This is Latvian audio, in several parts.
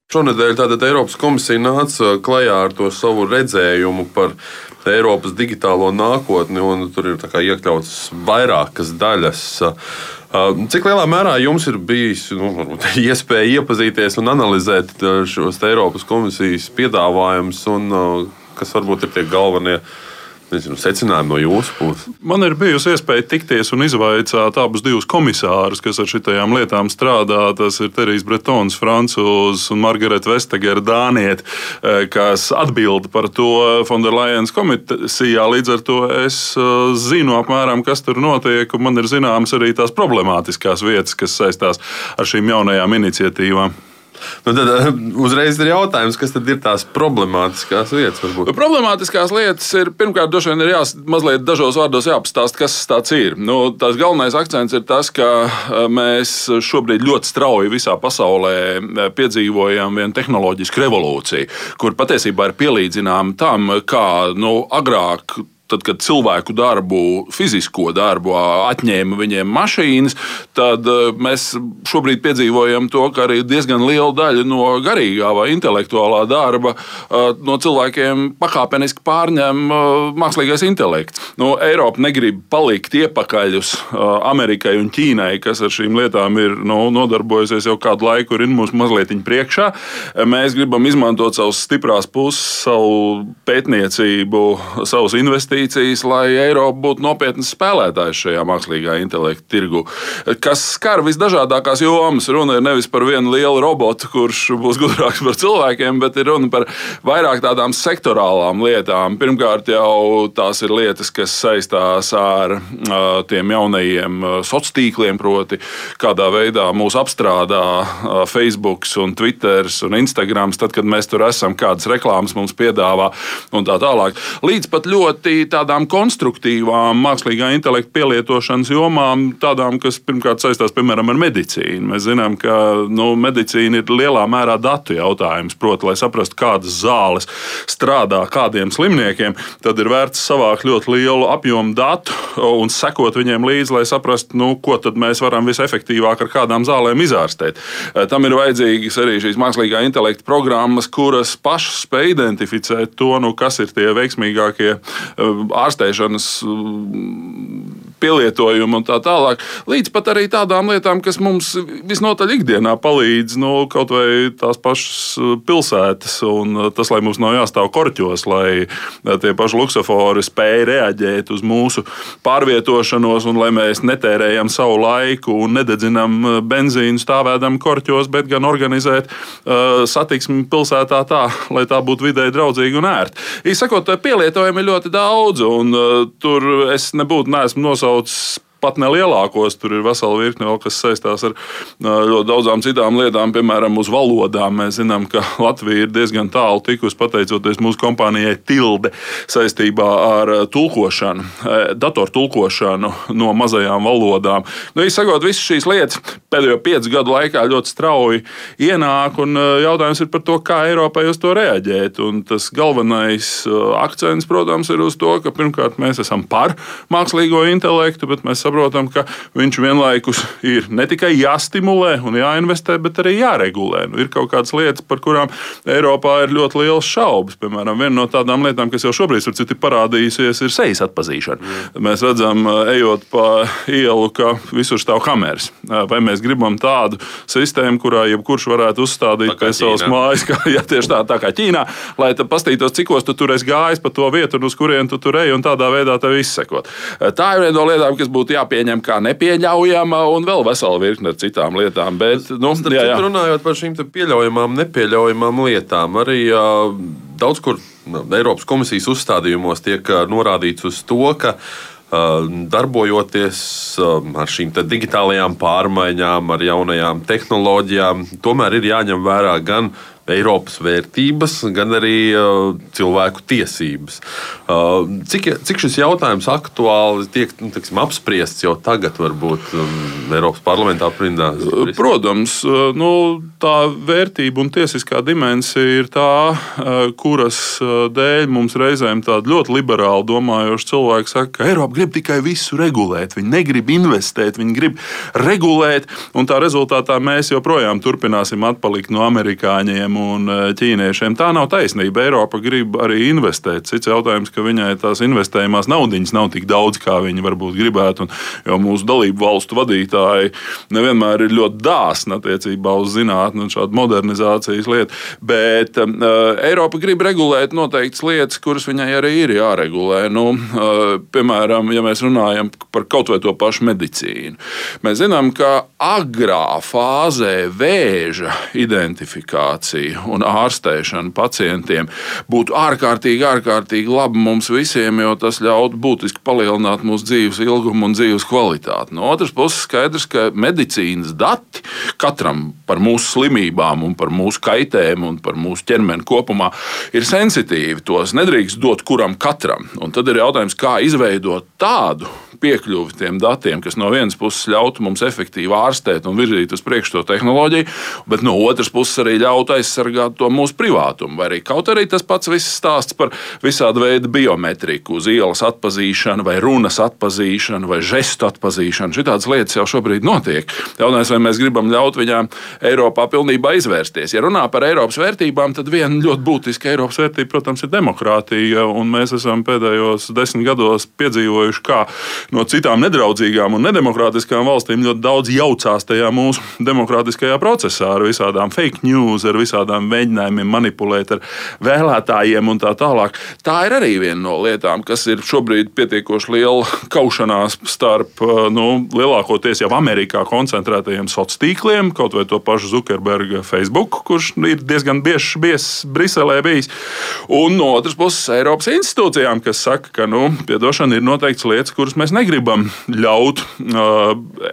Šonedēļ tātad Eiropas komisija nāca klajā ar to savu redzējumu par Eiropas digitālo nākotni, un tur ir iekļautas vairākas daļas. Cik lielā mērā jums ir bijis iespēja iepazīties un analizēt šos Eiropas komisijas piedāvājumus, un kas varbūt ir tie galvenie secinājumi no jūsu puses? Man ir bijusi iespēja tikties un izvaicāt abus divus komisārus, kas ar šitajām lietām strādā. Tas ir Terijs Bretons, francūzs, un Margareta Vestager, dāniete, kas atbild par to Fonderlajens komisijā. Līdz ar to es zinu apmēram, kas tur notiek, un man ir zināmas arī tās problemātiskās vietas, kas saistās ar šīm jaunajām iniciatīvām. Tad uzreiz ir jautājums, kas tad ir tās problemātiskās lietas? Varbūt? Problemātiskās lietas ir, pirmkārt, droši vien ir mazliet dažos vārdos jāpastāst, kas tas ir. Tās galvenais akcents ir tas, ka mēs šobrīd ļoti strauji visā pasaulē piedzīvojam vienu tehnoloģisku revolūciju, kur patiesībā ir pielīdzināma tam, kā agrāk. Tad, kad cilvēku darbu, fizisko darbu atņēma viņiem mašīnas, tad mēs šobrīd piedzīvojam to, ka arī diezgan liela daļa no garīgā vai intelektuālā darba no cilvēkiem pakāpeniski pārņem mākslīgais intelekts. Eiropa negrib palikt iepakaļ uz Amerikai un Ķīnai, kas ar šīm lietām ir nodarbojusies jau kādu laiku, ir mums mazliet priekšā. Mēs gribam izmantot savas stiprās puses, savu pētniecību, savus investīcijas, lai Eiropa būtu nopietns spēlētājs šajā mākslīgā intelekta tirgu, kas skar visdažādākās jomas. Runa ir nevis par vienu lielu robotu, kurš būs gudrāks par cilvēkiem, bet ir runa par vairāk tādām sektorālām lietām. Pirmkārt, jau tās ir lietas, kas saistās ar tiem jaunajiem sociāliem tīkliem, proti, kādā veidā mūs apstrādā Facebook, Twitter un Instagram, tad, kad mēs tur esam, kādas reklāmas mums piedāvā un tā tālāk. Līdz pat ļoti tādām konstruktīvām mākslīgā intelekta pielietošanas jomām, tādām, kas pirmkārt saistās, piemēram, ar medicīnu. Mēs zinām, ka medicīna ir lielā mērā datu jautājums. Proti, lai saprastu, kādas zāles strādā kādiem slimniekiem, tad ir vērts savākt ļoti lielu apjomu datu un sekot viņiem līdzi, lai saprastu, ko tad mēs varam visefektīvāk ar kādām zālēm izārstēt. Tam ir vajadzīgas arī šīs mākslīgā intelekta programmas, kuras pašas spēj identificēt to, kas ir tie veiksmīgākie ārstēšanas pielietojumu un tā tālāk, līdz pat arī tādām lietām, kas mums visnotaļ ikdienā palīdz, kaut vai tās pašas pilsētas, un tas, lai mums nav jāstāv korķos, lai tie paši luksofori spēj reaģēt uz mūsu pārvietošanos, un lai mēs netērējam savu laiku un nededzinam benzīnu stāvēdam korķos, bet gan organizēt satiksmi pilsētā tā, lai tā būtu vidēji draudzīga un ērta. Īsakot, pielietojumi ir ļoti daudz, un tur es neesmu nosaucis pat nelielākos, tur ir vesela virkne vēl, kas saistās ar ļoti daudzām citām lietām, piemēram, uz valodām. Mēs zinām, ka Latvija ir diezgan tālu tikusi, pateicoties mūsu kompānijai Tilde, saistībā ar tulkošanu, datortulkošanu no mazajām valodām. Izsakot, visas šīs lietas pēdējo 5 gadu laikā ļoti strauji ienāk, un jautājums ir par to, kā Eiropai uz to reaģēt. Un tas galvenais akcents, protams, ir uz to, ka pirmkārt mēs esam par mākslīgo intelektu, bet mēs saprotam, ka viņš vienlaikus ir ne tikai jāstimulē un jāinvestē, bet arī jāregulē. Ir kaut kādas lietas, par kurām Eiropā ir ļoti liels šaubas. Piemēram, viena no tādām lietām, kas jau šobrīd ir parādījusies, ir sejas atpazīšana. Mēs redzam, ejot pa ielu, ka visur stāv kameras. Vai mēs gribam tādu sistēmu, kurā jebkurš varētu uzstādīt pie savas mājas, tieši tā kā Ķīnā, lai pastītos, cikos tu tur esi gājis pa to vietu, un uz kurien tu tur ej, un tādā veidā tev izsekot. Tā ir viena no lietām, kas būtu jāpieņem kā nepieļaujama, un vēl vesela virkne ar citām lietām. Bet, runājot par šīm pieļaujamām, nepieļaujamām lietām, arī daudz kur Eiropas komisijas uzstādījumos tiek norādīts uz to, ka darbojoties ar šīm digitālajām pārmaiņām, ar jaunajām tehnoloģijām, tomēr ir jāņem vērā gan Eiropas vērtības, gan arī cilvēku tiesības. Cik šis jautājums aktuāli tiek apspriests jau tagad, varbūt Eiropas parlamentā aprindās? Protams, tā vērtība un tiesiskā dimensija ir tā, kuras dēļ mums reizēm tādi ļoti liberāli domājoši cilvēki saka, ka Eiropa grib tikai visu regulēt. Viņi negrib investēt, viņi grib regulēt, un tā rezultātā mēs joprojām turpināsim atpalikt no amerikāņiem un ķīniešiem. Tā nav taisnība. Eiropa grib arī investēt. Cits jautājums, ka viņai tās investējumās naudiņas nav tik daudz, kā viņi varbūt gribētu. Jo mūsu dalību valstu vadītāji nevienmēr ir ļoti dāsni attiecībā uz zinātni un šādu modernizācijas lietu. Bet Eiropa grib regulēt noteiktas lietas, kuras viņai arī ir jāregulē. Piemēram, ja mēs runājam par kaut vai to pašu medicīnu. Mēs zinām, ka agrā fāzē vēža identifikācija un ārstēšana pacientiem būtu ārkārtīgi labi mums visiem, jo tas ļautu būtiski palielināt mūsu dzīves ilgumu un dzīves kvalitāti. No otras puses, skaidrs, ka medicīnas dati katram par mūsu slimībām un par mūsu kaitēm un par mūsu ķermeni kopumā ir sensitīvi. Tos nedrīkst dot kuram katram. Un tad ir jautājums, kā izveidot tādu piekļuvi tiem datiem, kas no vienas puses ļautu mums efektīvi ārstēt un virzīt uz priekšu to tehnoloģiju, bet no otras puses arī ļautu aizsargāt to mūsu privātumu. Vai arī kaut arī tas pats viss stāsts par visādu veidu biometriku, uz ielas atpazīšanu, vai runas atpazīšanu, vai žestu atpazīšanu. Šitādas lietas jau šobrīd notiek. Jautājums, vai mēs gribam ļaut viņām Eiropā pilnībā izvērsties. Ja runā par Eiropas vērtībām, tad viena ļoti būtiska Eiropas vērtība, protams, ir demokrātija, un mēs esam pēdējos 10 gados piedzīvojuši, kā no citām nedraudzīgām un nedemokrātiskām valstīm ļoti daudz jaucās tajā mūsu demokrātiskajā procesā ar visādām fake news, ar visādām mēģinājumiem manipulēt ar vēlētājiem un tā tālāk. Tā ir arī viena no lietām, kas ir šobrīd pietiekoši liela kaušanās starp lielākoties jau Amerikā koncentrētajiem sociāliem tīkliem, kaut vai to pašu Zuckerberga Facebook, kurš ir diezgan bieži Briselē bijis, un no otras puses Eiropas institūcijām, kas saka, ka piedošana ir noteikts lietas, kuras mēs negribam ļaut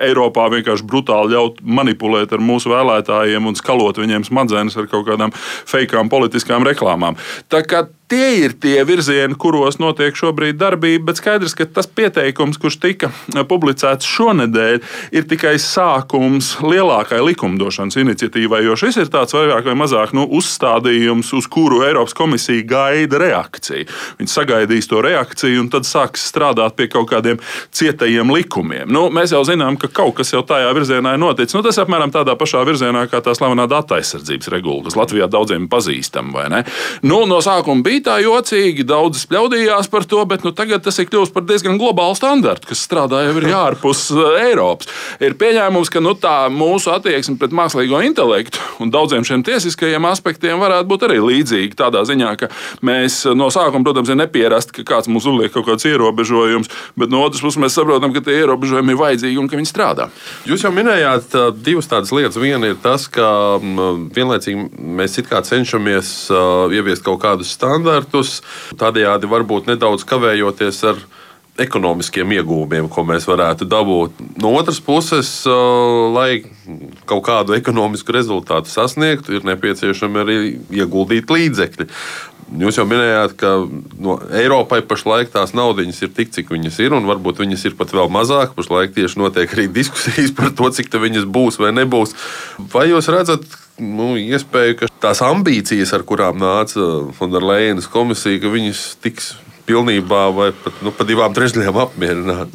Eiropā vienkārši brutāli ļaut manipulēt ar mūsu vēlētājiem un skalot viņiem smadzenes ar kaut kādām feikām politiskām reklāmām. Tā kā tie ir tie virzieni, kuros notiek šobrīd darbība, bet skaidrs, ka tas pieteikums, kurš tika publicēts šonedēļ, ir tikai sākums lielākai likumdošanas iniciatīvai, jo šis ir tāds vairāk vai mazāk uzstādījums, uz kuru Eiropas komisija gaida reakciju. Viņi sagaidīs to reakciju un tad sāks strādāt pie kaut kādiem cietajiem likumiem. Mēs jau zinām, ka kaut kas jau tajā virzienā ir noticis. Tas apmēram tādā pašā virzienā kā tā slavenā datu aizsardzības regula, kas Latvijā daudziem pazīstama, vai ne? No sākuma bija tā jocīgi, daudz spļaudījās par to, bet tagad tas ir kļuvis par diezgan globālu standartu, kas strādā jau ir ārpus Eiropas. Ir pieņēmums, ka tā mūsu attieksme pret mākslīgo intelektu un daudziem šiem tiesiskajiem aspektiem varētu būt arī līdzīga tādā ziņā, ka mēs no sākuma, protams, ir nepierast, ka kāds mums uzliek kaut kāds ierobežojums, bet no otras puses mēs saprotam, ka tie ierobežojumi ir vajadzīgi un ka viņi strādā. Jūs jau minējāt divas tādas lietas. Viena ir tas, ka vienlaicīgi mēs it kā cenšamies ieviest kaut kādus standartus, tādējādi varbūt nedaudz kavējoties ar ekonomiskiem iegūmiem, ko mēs varētu dabūt. No otras puses, lai kaut kādu ekonomisku rezultātu sasniegtu, ir nepieciešami arī ieguldīt līdzekļi. Jūs jau minējāt, ka Eiropai pašlaik tās naudiņas ir tik, cik viņas ir, un varbūt viņas ir pat vēl mazāk. Pašlaik tieši notiek arī diskusijas par to, cik viņas būs vai nebūs. Vai jūs redzat iespēju, ka tās ambīcijas, ar kurām nāca Fonderlejenas komisija, ka viņas tiks pilnībā vai pat pa 2/3 apmierināt?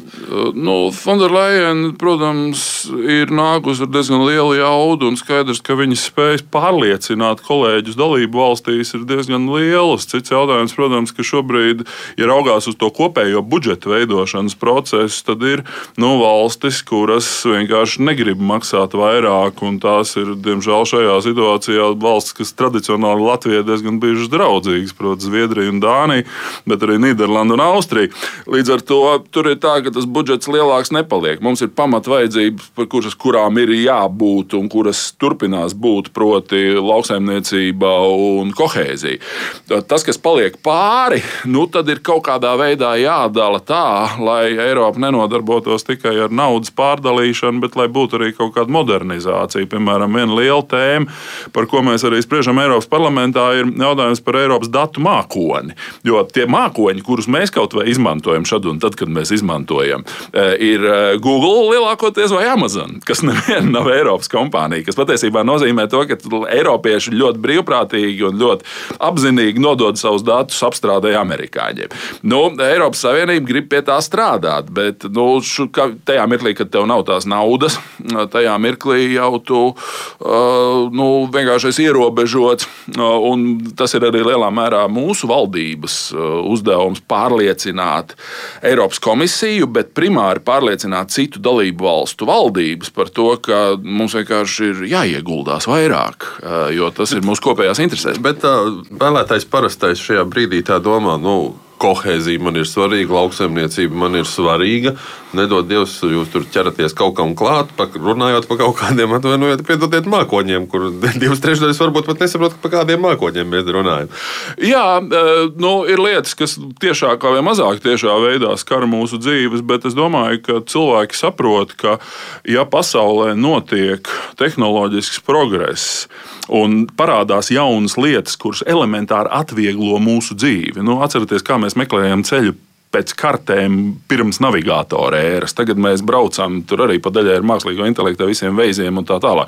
Fonderlejena, protams, ir nākusi ar diezgan lielu jaudu, un skaidrs, ka viņas spējas pārliecināt kolēģus dalību valstīs ir diezgan lielas. Cits jautājums, protams, ka šobrīd, ja raugās uz to kopējo budžeta veidošanas procesu, tad ir valstis, kuras vienkārši negrib maksāt vairāk, un tās ir, diemžēl, šajā situācijā valstis, kas tradicionāli Latvijai diezgan bijušas draudzīgas, proti Zviedrija un Dānija, bet arī Nīderlanda un Austrija. Līdz ar to tur ir tā, ka tas budžets lielāks nepaliek. Mums ir pamatvajadzības, kurām ir jābūt un kuras turpinās būt, proti lauksaimniecība un kohēzija. Tas, kas paliek pāri, tad ir kaut kādā veidā jādala tā, lai Eiropa nenodarbotos tikai ar naudas pārdalīšanu, bet lai būtu arī kaut kāda modernizācija. Piemēram, viena liela tēma, par ko mēs arī spriežam Eiropas parlamentā, ir jautājums par Eiropas datu mākoni. Jo tie mākoņi mākoņi, kurus mēs kaut vai izmantojam šad un tad, kad mēs izmantojam, ir Google lielākoties vai Amazon, kas neviena nav Eiropas kompānija, kas patiesībā nozīmē to, ka eiropieši ļoti brīvprātīgi un ļoti apzinīgi nodod savus datus apstrādē amerikāņiem. Eiropas Savienība grib pie tā strādāt, bet tajā mirklī, kad tev nav tās naudas, tajā mirklī jau tu vienkārši esi ierobežots, un tas ir arī lielā mērā mūsu valdības uzdevums pārliecināt Eiropas komisiju, bet primāri pārliecināt citu dalību valstu valdības par to, ka mums vienkārši ir jāieguldās vairāk, jo tas ir mūsu kopējās interesēs. Bet vēlētājs parastais šajā brīdī tā domā, kohēzija man ir svarīga, lauksaimniecība man ir svarīga. Nedod Dievs, jūs tur ķeraties kaut kam klāt, runājot par kaut kādiem, piedodiet mākoņiem, kur 2/3 varbūt pat nesaprot, par kādiem mākoņiem mēs runājam. Jā, ir lietas, kas tiešākā vai mazāk tiešā veidā skar mūsu dzīves, bet es domāju, ka cilvēki saprot, ka ja pasaulē notiek tehnoloģisks progress un parādās jaunas lietas, kuras elementāri atvieglo mūsu dzīvi. Atcerieties, kā mēs meklējam ceļu pēc kartēm pirms navigātora ēras. Tagad mēs braucam, tur arī pa daļai ar mākslīgo intelektu, visiem veiziem un tā tālāk.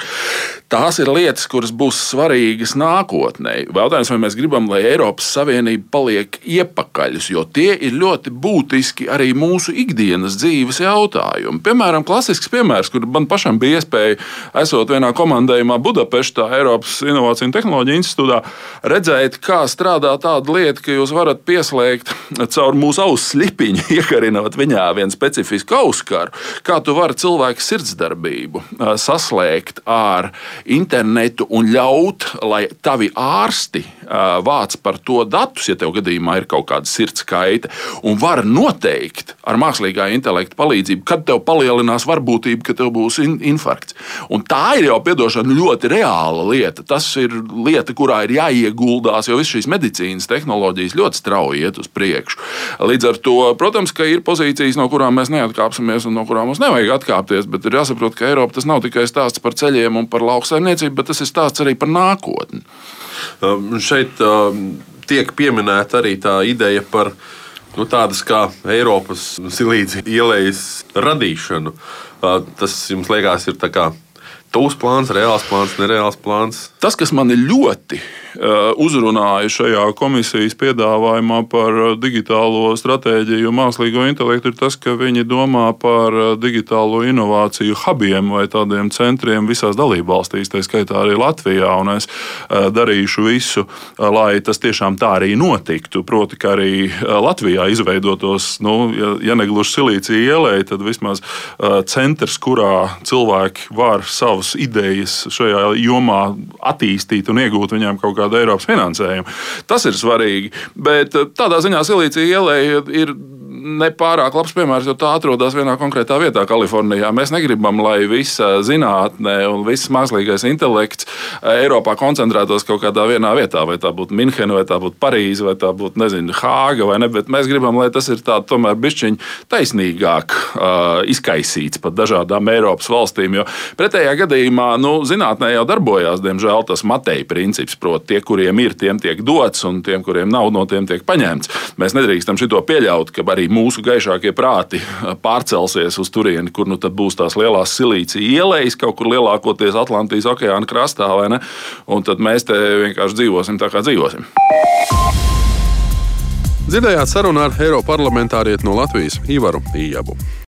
Tās ir lietas, kuras būs svarīgas nākotnē. Jautājums, vai mēs gribam, lai Eiropas Savienība paliek iepakaļus, jo tie ir ļoti būtiski arī mūsu ikdienas dzīves jautājumi. Piemēram, klasisks piemērs, kur man pašam bija iespēja, esot vienā komandējumā Budapeštā, Eiropas Inovāciju un Tehnoloģiju institūtā, redzēt, kā strādā tāda lieta, ka jūs varat pieslēgt caur mūsu auss slipiņu, iekarinot viņā vienu specifisku auskaru, kā tu vari cilvēku sirdsdarbību saslēgt ar internetu un ļaut, lai tavi ārsti vāc par to datus, ja tev gadījumā ir kaut kāda sirds kaite, un var noteikt ar mākslīgā intelekta palīdzību, kad tev palielinās varbūtība, ka tev būs infarkts. Un tā ir jau, piedošana, ļoti reāla lieta. Tas ir lieta, kurā ir jāieguldās, jo viss šīs medicīnas tehnoloģijas ļoti strauji iet uz priekšu. Līdz ar to, protams, ka ir pozīcijas, no kurām mēs neatkāpsimies un no kurām mums nevajag atkāpties, bet ir jāsaprot, ka Eiropa tas nav tikai stāsts par ceļiem un par lauksaimniecību, bet tas ir stāsts arī par nākotni. Šeit tiek pieminēta arī tā ideja par tādas kā Eiropas silīcija ielejas radīšanu. Tas jums liekas ir tā kā tūs plāns, reāls plāns, nereāls plāns? Tas, kas man ir ļoti uzrunāja šajā komisijas piedāvājumā par digitālo stratēģiju un mākslīgo intelektu, ir tas, ka viņi domā par digitālo inovāciju hubiem vai tādiem centriem visās dalībvalstīs, tā skaitā arī Latvijā, un es darīšu visu, lai tas tiešām tā arī notiktu. Proti, ka arī Latvijā izveidotos, ja negluži silīcija ielēja, tad vismaz centrs, kurā cilvēki var savas idejas šajā jomā attīstīt un iegūt viņiem kaut kādu Eiropas finansējumu. Tas ir svarīgi, bet tādā ziņā silīcija ielēja ir nepārāk labs piemērs, jo tā atrodas vienā konkrētā vietā Kalifornijā. Mēs negribam, lai visa zinātne un viss mākslīgais intelekts Eiropā koncentrētos kaut kādā vienā vietā, vai tā būtu Minhena, vai tā būtu Parīze, vai tā būtu, Hāga, vai ne, bet mēs gribam, lai tas ir tā tomēr bišķiņ taisnīgāk izkaisīts pat dažādām Eiropas valstīm, jo pretējā gadījumā, zinātnē jau darbojās, diemžēl, tas Mateja princips, proti tie, kuriem ir, tiem tiek dots, un tiem, kuriem nav, no tiem tiek paņemts. Mēs nedrīkstam šito pieļaut, ka arī mūsu gaišākie prāti pārcelsies uz turieni, kur tad būs tās lielās silīcija ielejas, kaut kur lielākoties Atlantijas okeāna krastā, vai ne? Un tad mēs te vienkārši dzīvosim tā, kā dzīvosim. Dzirdējāt sarunu ar eiroparlamentārieti no Latvijas Ivaru Ijabu.